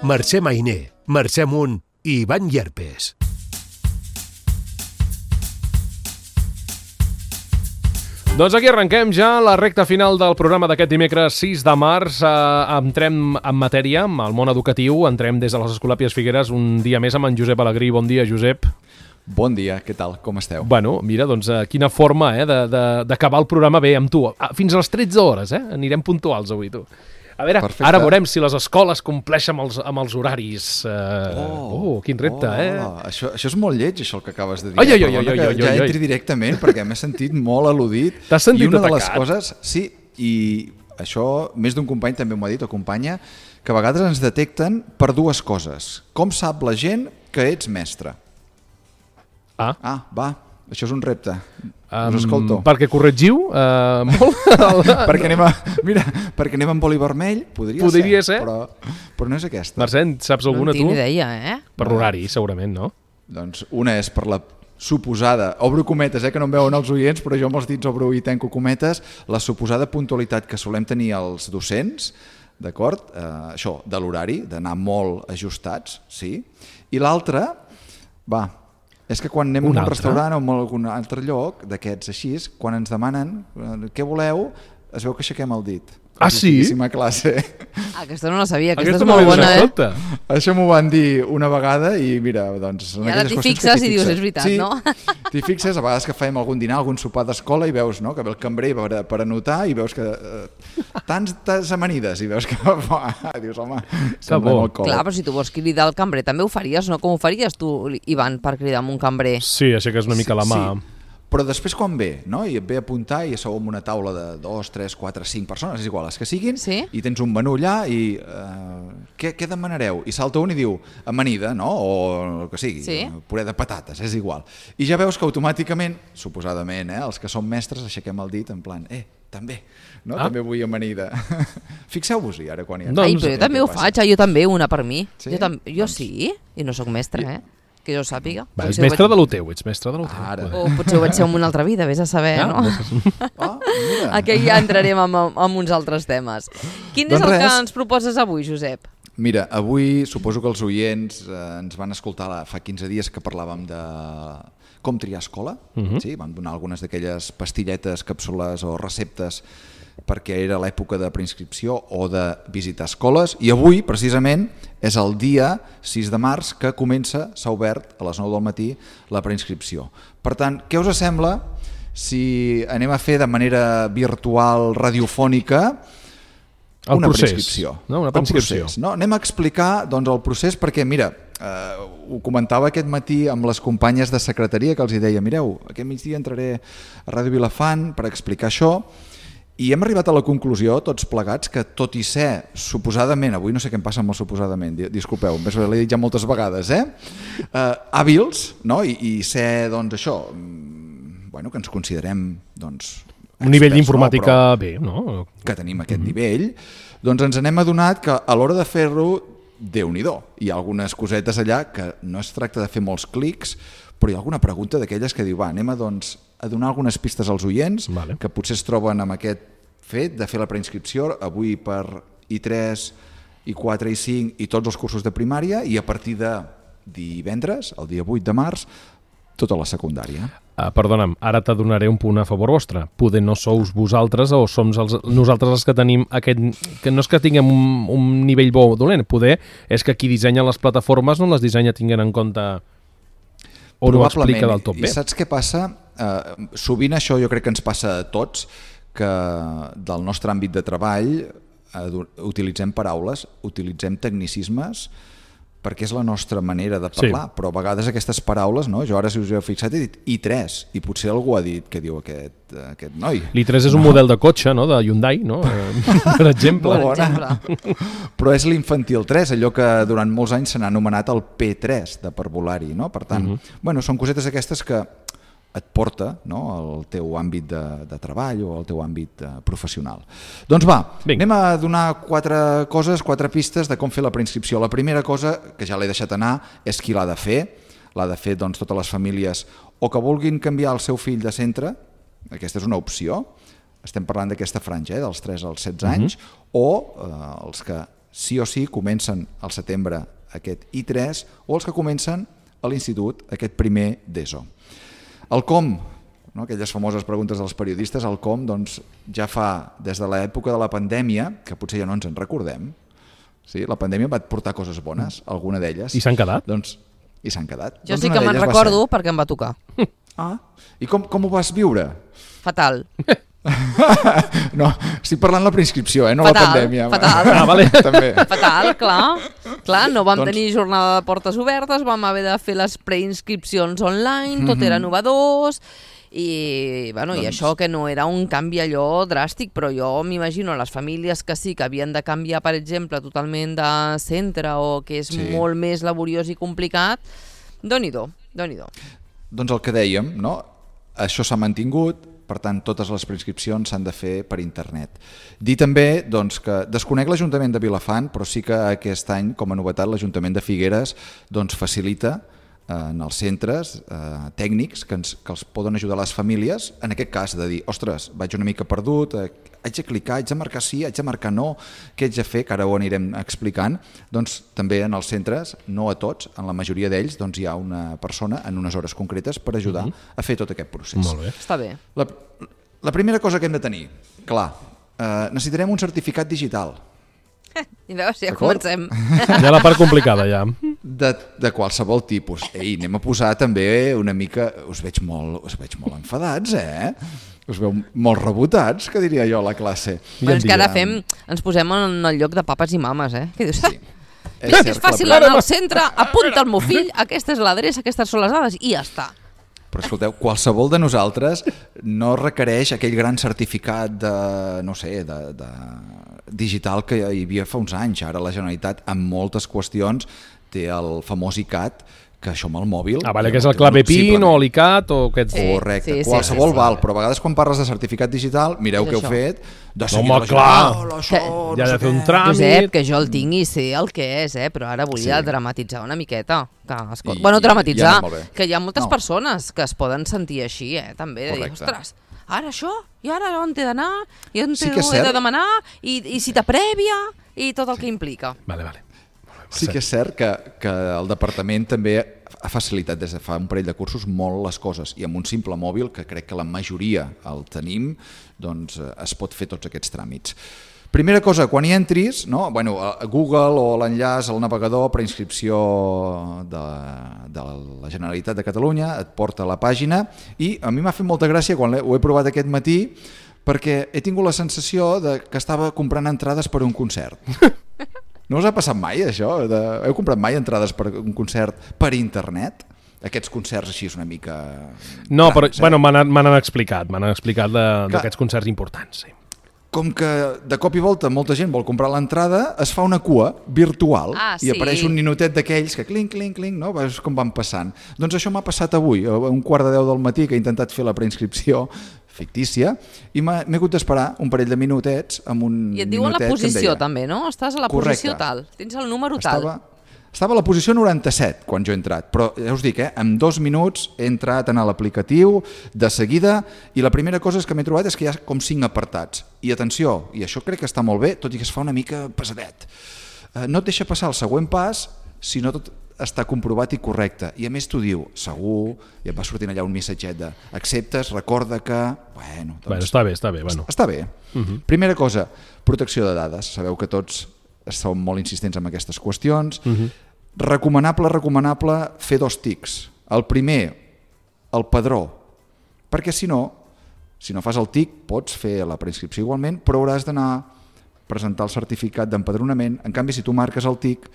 Mercè Mainer, Mercè Munt i Ivan Llerpes. Doncs aquí arrenquem ja la recta final del programa d'aquest dimecres 6 de març. Entrem en matèria, amb el món educatiu. Entrem des de les Escolàpies Figueres un dia més amb en Josep Alegrí. Bon dia, Josep. Bon dia, què tal? Com esteu? Bueno, mira, doncs quina forma d'acabar el programa bé amb tu. Fins a les 13 hores, anirem puntuals avui, tu. A veure, perfecte. Ara veurem si les escoles compleixen amb els horaris. Quin repte, Això és molt lleig, això el que acabes de dir. Ja entri directament, perquè m'he sentit molt al·ludit. T'has sentit atacat? I una de les coses... Sí, i això més d'un company també m'ho ha dit, o companya, que a vegades ens detecten per dues coses. Com sap la gent que ets mestre? Va, això és un repte. Us escolto. Perquè corregiu molt? perquè anem amb boli vermell, podria ser. Però no és aquesta. Mercè, saps alguna tu? No en tinc idea, Per l'horari, segurament, no? Doncs una és per la suposada, obro cometes, que no em veuen els oients, però jo amb els dits obro i tanco cometes, la suposada puntualitat que solem tenir els docents, d'acord? Això, de l'horari, d'anar molt ajustats, sí. I l'altra, és que quan anem a un restaurant o a algun altre lloc d'aquests així, quan ens demanen què voleu, es veu que aixequem el dit. Sí? Classe. Aquesta no la sabia, aquesta és molt bona, Això m'ho van dir una vegada i mira, doncs... I ara t'hi fixes i dius, és veritat, no? T'hi fixes, a vegades que fem algun dinar, algun sopar d'escola i veus que ve el cambrer per anotar i veus que tantes amanides i veus que dius, home, sembla molt còmode. Clar, però si tu vols cridar el cambrer també ho faries, no? Com ho faries tu, Ivan, per cridar amb un cambrer? Sí, aixeques una mica la mà. Però després quan ve, no? I et ve a apuntar i sou en una taula de 2, 3, 4, 5 persones, és igual, les que siguin, i tens un menú allà i què demanareu? I salta un i diu amanida, no? O el que sigui, puré de patates, és igual. I ja veus que automàticament, suposadament, els que som mestres aixequem el dit en plan, també, no? També vull amanida. Fixeu-vos-hi ara quan hi ha... Però jo també ho faig, jo també, una per mi. Jo sí, i no sóc mestre, que jo sàpiga. Ets mestre de lo teu, ets mestre de lo teu. O potser ho vaig ser en una altra vida, vés a saber, no? Aquí ja entrarem en uns altres temes. Quin és el que ens proposes avui, Josep? Mira, avui suposo que els oients ens van escoltar fa 15 dies que parlàvem de com triar escola. Vam donar algunes d'aquelles pastilletes, càpsules o receptes perquè era l'època de preinscripció o de visitar escoles, i avui, precisament, és el dia 6 de març que s'ha obert a les 9 del matí la preinscripció. Per tant, què us sembla si anem a fer de manera virtual, radiofònica, una preinscripció? Una preinscripció. Anem a explicar el procés perquè, mira, ho comentava aquest matí amb les companyes de secretaria que els deia, mireu, aquest migdia entraré a Ràdio Vilafant per explicar això, i hem arribat a la conclusió, tots plegats, que tot i ser, suposadament, avui no sé què em passa amb el suposadament, disculpeu, l'he dit ja moltes vegades, hàbils, i ser, això, que ens considerem, un nivell d'informàtica bé, no? Que tenim aquest nivell, doncs ens n'hem adonat que a l'hora de fer-ho, Déu-n'hi-do, hi ha algunes cosetes allà que no es tracta de fer molts clics, però hi ha alguna pregunta d'aquelles que diu, anem a donar algunes pistes als oients que potser es troben amb aquest fet de fer la preinscripció avui per I3, I4, I5 i tots els cursos de primària, i a partir de divendres, el dia 8 de març, tota la secundària. Perdona'm, ara t'adonaré un punt a favor vostre. Poder no sous vosaltres o som nosaltres els que tenim aquest... Que no és que tinguem un nivell bo o dolent, poder és que qui dissenya les plataformes no les dissenya tinguent en compte o no ho explica del tot bé. I saps què passa? Sovint això jo crec que ens passa a tots, que del nostre àmbit de treball utilitzem paraules, utilitzem tecnicismes, perquè és la nostra manera de parlar, però a vegades aquestes paraules, jo ara si us heu fixat he dit I3, i potser algú ha dit què diu aquest noi. L'I3 és un model de cotxe, de Hyundai, per exemple. Però és l'infantil 3, allò que durant molts anys se n'ha anomenat el P3 de parvulari, per tant, són cosetes aquestes que et porta al teu àmbit de treball o al teu àmbit professional. Doncs anem a donar 4 coses, 4 pistes de com fer la preinscripció. La primera cosa, que ja l'he deixat anar, és qui l'ha de fer. L'ha de fer totes les famílies o que vulguin canviar el seu fill de centre, aquesta és una opció, estem parlant d'aquesta franja, dels 3 als 16 anys, o els que sí o sí comencen al setembre aquest I3 o els que comencen a l'institut aquest primer d'ESO. El com, no? Aquelles famoses preguntes dels periodistes, el com doncs, ja fa des de l'època de la pandèmia, que potser ja no ens en recordem, sí? La pandèmia va portar coses bones, alguna d'elles. I s'han quedat? Doncs, i s'han quedat. Jo sí que me'n recordo perquè em va tocar. I com ho vas viure? Fatal. No, estic parlant la preinscripció, no fatal, la pandèmia. Fatal. Vale. També. Fatal, clar, no vam tenir jornada de portes obertes, vam haver de fer les preinscripcions online, tot era novedós, i això que no era un canvi allò dràstic, però jo m'imagino les famílies que sí que havien de canviar, per exemple, totalment de centre o que és molt més laboriós i complicat, Déu-n'hi-do. Doncs el que dèiem, no? Això s'ha mantingut, per tant, totes les preinscripcions s'han de fer per internet. Dir també doncs, que desconec l'Ajuntament de Vilafant, però sí que aquest any, com a novetat, l'Ajuntament de Figueres doncs, facilita en els centres tècnics que els poden ajudar les famílies, en aquest cas de dir, ostres, vaig una mica perdut, haig de clicar, haig de marcar sí, haig de marcar no, què haig de fer, que ara ho anirem explicant, doncs també en els centres, no a tots, en la majoria d'ells doncs, hi ha una persona en unes hores concretes per ajudar a fer tot aquest procés. Molt bé. Està bé. La primera cosa que hem de tenir, clar, necessitarem un certificat digital. I veus, ja comencem. Ja la part complicada, ja. De qualsevol tipus. Ei, anem a posar també una mica... Us veig molt enfadats, Us veu molt rebotats, que diria jo, a la classe. Però és que ara ens posem en el lloc de papes i mames, Què dius? Sí. Mira que és fàcil anar al centre, apunta el meu fill, aquesta és l'adreça, aquestes són les dades, i ja està. Però escolteu, qualsevol de nosaltres no requereix aquell gran certificat digital que hi havia fa uns anys. Ara la Generalitat, en moltes qüestions, té el famós ICAT, que això amb el mòbil... Vale, que és el clave PIN o l'ICAT o aquest... Correcte, qualsevol val, però a vegades quan parles de certificat digital, mireu què heu fet, de seguida ja ha de fer un tràmit... Josep, que jo el tinc i sé el que és, però ara volia dramatitzar una miqueta. Dramatitzar, que hi ha moltes persones que es poden sentir així, també, de dir, ostres, ara això, i ara on he d'anar, i on he de demanar, i cita prèvia, i tot el que implica. Vale. Sí que és cert que el departament també ha facilitat des de fa un parell de cursos molt les coses, i amb un simple mòbil, que crec que la majoria el tenim, doncs es pot fer tots aquests tràmits. Primera cosa, quan hi entris, a Google o l'enllaç al navegador, preinscripció de la Generalitat de Catalunya, et porta a la pàgina, i a mi m'ha fet molta gràcia quan ho he provat aquest matí, perquè he tingut la sensació que estava comprant entrades per un concert. No us ha passat mai, això? Heu comprat mai entrades per un concert per internet? Aquests concerts així és una mica... No, però m'han explicat d'aquests concerts importants. Sí. Com que de cop i volta molta gent vol comprar l'entrada, es fa una cua virtual i apareix un ninotet d'aquells que clinc, no? Veus com van passant. Doncs això m'ha passat avui, a 9:45 del matí, que he intentat fer la preinscripció fictícia, i m'he hagut d'esperar un parell de minutets amb un I et diuen la posició també, no? Estàs a la posició tal, tens el número tal. Estava a la posició 97 quan jo he entrat, però ja us dic, en 2 minuts he entrat en l'aplicatiu de seguida, i la primera cosa que m'he trobat és que hi ha com 5 apartats. I atenció, i això crec que està molt bé, tot i que es fa una mica pesadet. No et deixa passar el següent pas si no tot està comprovat i correcte, i a més t'ho diu segur, i et va sortint allà un missatget de acceptes, recorda que... Està bé. Està bé. Primera cosa, protecció de dades. Sabeu que tots som molt insistents en aquestes qüestions. Recomanable fer 2 tics. El primer, el padró, perquè si no fas el tic pots fer la preinscripció igualment, però hauràs d'anar a presentar el certificat d'empadronament. En canvi, si tu marques el tic,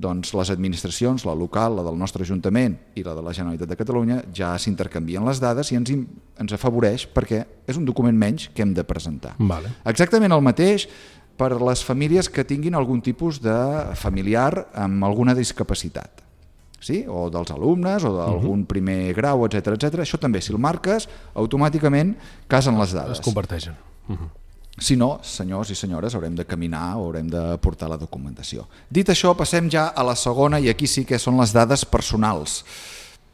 doncs les administracions, la local, la del nostre Ajuntament i la de la Generalitat de Catalunya, ja s'intercanvien les dades i ens afavoreix perquè és un document menys que hem de presentar. Vale. Exactament el mateix per les famílies que tinguin algun tipus de familiar amb alguna discapacitat. Sí? O dels alumnes o d'algun primer grau, etc. Això també, si el marques, automàticament casen les dades. Es comparteixen. Si no, senyors i senyores, haurem de caminar o haurem de portar la documentació. Dit això, passem ja a la segona, i aquí sí que són les dades personals.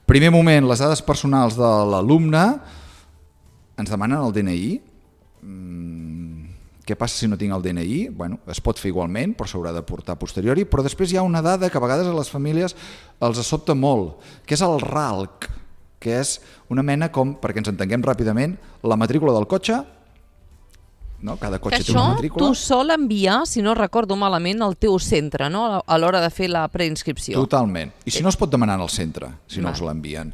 Primer moment, les dades personals de l'alumne. Ens demanen el DNI. Què passa si no tinc el DNI? Bueno, es pot fer igualment, però s'haurà de portar a posteriori, però després hi ha una dada que a vegades a les famílies els sobta molt, que és el RALC, que és una mena com, perquè ens entenguem ràpidament, la matrícula del cotxe, no? Cada cotxe té una matrícula. Això tu sol enviar, si no recordo malament, al teu centre, no? A l'hora de fer la preinscripció. Totalment. I si no es pot demanar al centre, si no us l'envien.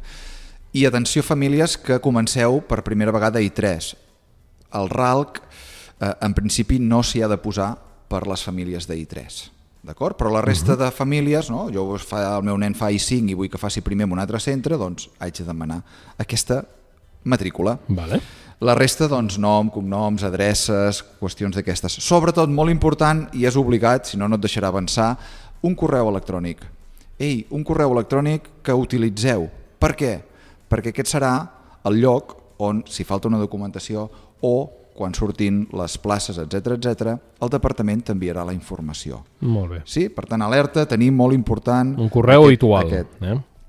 I atenció famílies que comenceu per primera vegada I3. El RALC, en principi, no s'hi ha de posar per les famílies d'I3. D'acord? Però la resta de famílies, no? El meu nen fa I5 i vull que faci primer en un altre centre, doncs haig de demanar aquesta matrícula. Vale. La resta, doncs, nom, cognoms, adreces, qüestions d'aquestes. Sobretot, molt important, i és obligat, si no, no et deixarà avançar, un correu electrònic. Un correu electrònic que utilitzeu. Per què? Perquè aquest serà el lloc on, si falta una documentació o quan surtin les places, etc, el departament t'enviarà la informació. Molt bé. Sí? Per tant, alerta, tenim molt important... Un correu habitual.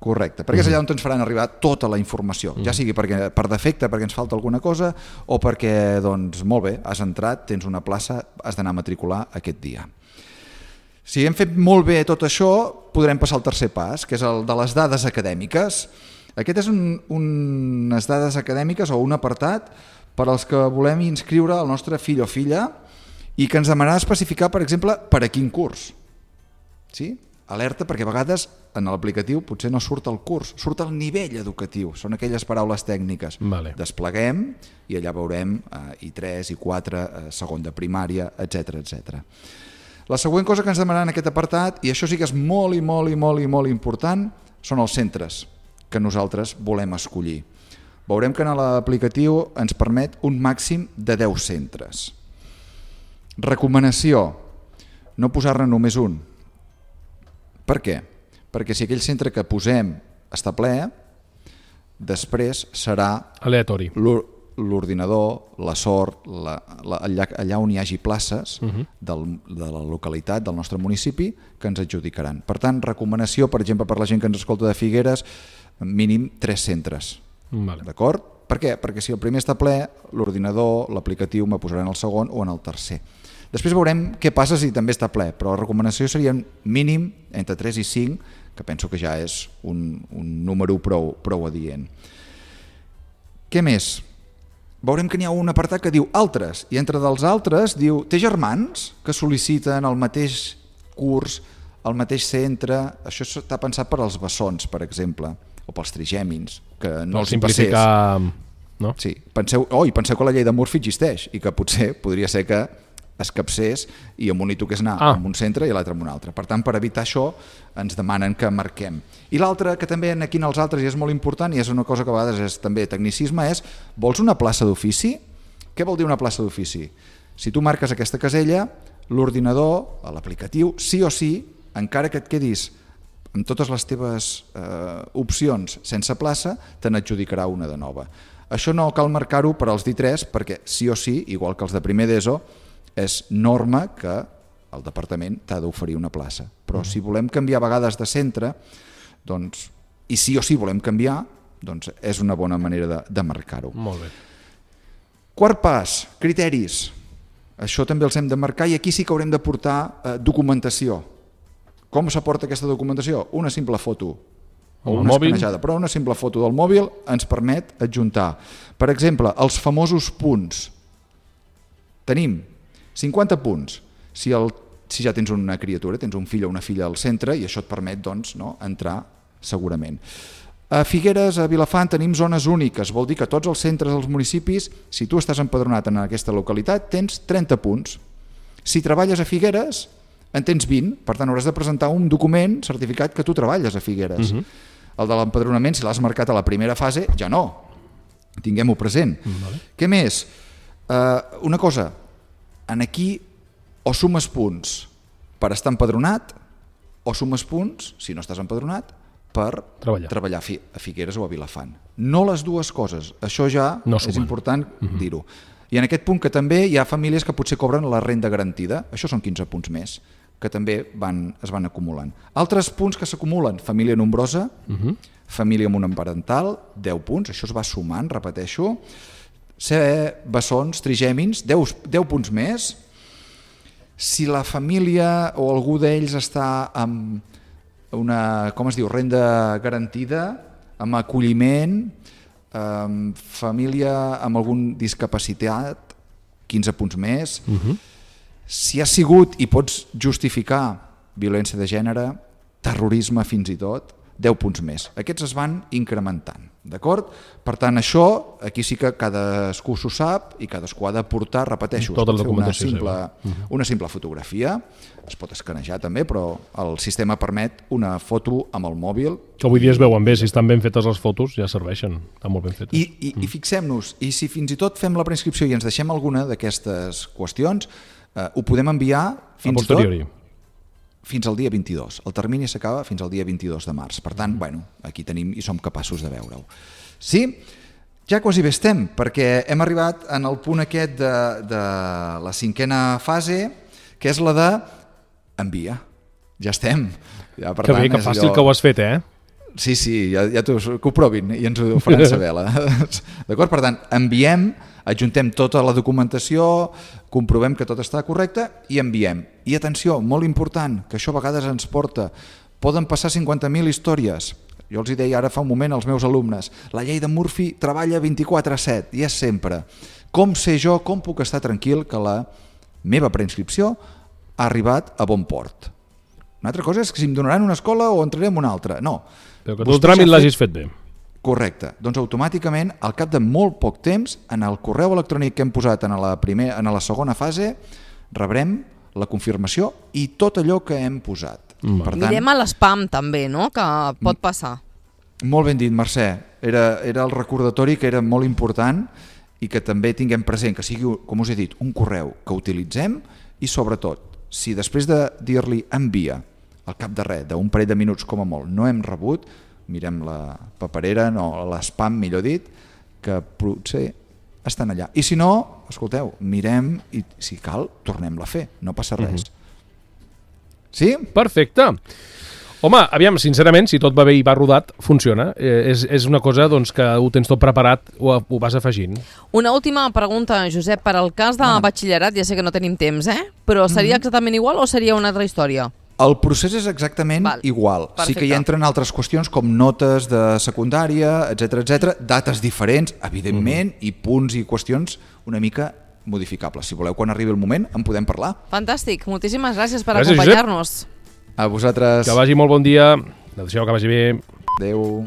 Correcte, perquè és allà on ens faran arribar tota la informació, ja sigui perquè, per defecte, perquè ens falta alguna cosa, o perquè, doncs, molt bé, has entrat, tens una plaça, has d'anar a matricular aquest dia. Si hem fet molt bé tot això, podrem passar al tercer pas, que és el de les dades acadèmiques. Aquest és unes dades acadèmiques o un apartat per als que volem inscriure el nostre fill o filla i que ens demanarà especificar, per exemple, per a quin curs. Sí? Alerta, perquè a vegades en l'aplicatiu potser no surt el curs, surt el nivell educatiu, són aquelles paraules tècniques. Vale. Despleguem i allà veurem I3, I4, segon de primària, etc. La següent cosa que ens demanen en aquest apartat, i això sí que és molt important, són els centres que nosaltres volem escollir. Veurem que en l'aplicatiu ens permet un màxim de 10 centres. Recomanació, no posar-ne només un. Per què? Perquè si aquell centre que posem està ple, després serà aleatori. L'ordinador, la sort, allà on hi hagi places de la localitat, del nostre municipi, que ens adjudicaran. Per tant, recomanació, per exemple, per la gent que ens escolta de Figueres, mínim 3 centres. Vale. D'acord? Per què? Perquè si el primer està ple, l'ordinador, l'aplicatiu me posarà en el segon o en el tercer. Després veurem què passa si també està ple, però la recomanació seria mínim entre 3 i 5, que penso que ja és un número prou adient. Què més? Veurem que n'hi ha un apartat que diu altres, i entre dels altres diu té germans que sol·liciten el mateix curs, el mateix centre. Això està pensat per als bessons, per exemple, o pels trigèmins, que no els simplificar, no? Sí, penseu que la llei de Murphy existeix i que potser podria ser que es capcés i en un hi toqués anar en un centre i l'altre en un altre. Per tant, per evitar això, ens demanen que marquem. I l'altre, que també aquí en els altres i és molt important, i és una cosa que a vegades és també tecnicisme, és vols una plaça d'ofici? Què vol dir una plaça d'ofici? Si tu marques aquesta casella, l'ordinador, l'aplicatiu, sí o sí, encara que et quedis amb totes les teves opcions sense plaça, te n'adjudicarà una de nova. Això no cal marcar-ho per als d'I3 perquè sí o sí, igual que els de primer d'ESO, és norma que el departament t'ha d'oferir una plaça. Però si volem canviar a vegades de centre, doncs, i sí o sí volem canviar, doncs és una bona manera de marcar-ho. Molt bé. Quart pas, criteris. Això també els hem de marcar i aquí sí que haurem de portar documentació. Com s'aporta aquesta documentació? Una simple foto o una escanejada, però una simple foto del mòbil ens permet adjuntar. Per exemple, els famosos punts. Tenim 50 punts. Si ja tens una criatura, tens un fill o una filla al centre i això et permet entrar segurament. A Figueres, a Vilafant, tenim zones úniques. Vol dir que tots els centres dels municipis, si tu estàs empadronat en aquesta localitat, tens 30 punts. Si treballes a Figueres, en tens 20, per tant hauràs de presentar un document certificat que tu treballes a Figueres. El de l'empadronament, si l'has marcat a la primera fase, ja no. Tinguem-ho present. Què més? Una cosa, aquí o sumes punts per estar empadronat o sumes punts, si no estàs empadronat, per treballar a Figueres o a Vilafant. No les dues coses, això ja és important dir-ho. I en aquest punt que també hi ha famílies que potser cobren la renda garantida, això són 15 punts més, que també es van acumulant. Altres punts que s'acumulen, família nombrosa, família monoparental, 10 punts, això es va sumant, repeteixo, ser bessons, trigèmins, 10 punts més. Si la família o algú d'ells està amb una, com es diu, renda garantida, amb acolliment, família amb algun discapacitat, 15 punts més. Si ha sigut i pots justificar violència de gènere, terrorisme fins i tot, 10 punts més. Aquests es van incrementant, d'acord? Per tant, això, aquí sí que cadascú s'ho sap i cadascú ha de portar, repeteixo, tota la documentació una simple fotografia, es pot escanejar també, però el sistema permet una foto amb el mòbil. Que avui dia es veuen bé, si estan ben fetes les fotos ja serveixen, estan molt ben fetes. I fixem-nos, i si fins i tot fem la preinscripció i ens deixem alguna d'aquestes qüestions, ho podem enviar fins i tot fins al dia 22. El termini s'acaba fins al dia 22 de març. Per tant, aquí tenim i som capaços de veure-ho. Sí? Ja quasi bé estem, perquè hem arribat en el punt aquest de la 5a fase, que és la de envia. Ja estem. Ja, per que bé, que fàcil que ho has fet, eh? Sí, ja que ho provin i ens ho faran saber. D'acord? Per tant, enviem, adjuntem tota la documentació, comprovem que tot està correcte i enviem. I atenció, molt important, que això a vegades ens porta, poden passar 50.000 històries. Jo els deia ara fa un moment als meus alumnes, la llei de Murphy treballa 24/7 i és sempre. Com sé jo, com puc estar tranquil que la meva preinscripció ha arribat a bon port? Una altra cosa és que si em donaran una escola o entraré en una altra. No. Però que tu el tràmit l'hagis fet bé. Correcte. Doncs automàticament, al cap de molt poc temps, en el correu electrònic que hem posat en la segona fase, rebrem la confirmació i tot allò que hem posat. Per tant, mirem a l'espam també, no?, que pot passar. Molt ben dit, Mercè. Era el recordatori que era molt important i que també tinguem present, que sigui, com us he dit, un correu que utilitzem i sobretot, si després de dir-li envia, al cap de res, d'un parell de minuts com a molt, no hem rebut, mirem la paperera, no, l'espam, millor dit, que potser estan allà. I si no, escolteu, mirem i si cal, tornem-la a fer, no passa res. Sí? Perfecte. Home, aviam, sincerament, si tot va bé i va rodat, funciona. És una cosa doncs, que ho tens tot preparat, ho vas afegint. Una última pregunta, Josep, per al cas de batxillerat, ja sé que no tenim temps, però seria exactament igual o seria una altra història? El procés és exactament igual. Perfecte. Sí que hi entren altres qüestions com notes de secundària, etc, dates diferents, evidentment, i punts i qüestions una mica modificables. Si voleu, quan arribi el moment, en podem parlar. Fantàstic. Moltíssimes gràcies per acompanyar-nos. A vosaltres. Que vagi molt bon dia. Adéu, que vagi bé. Adéu.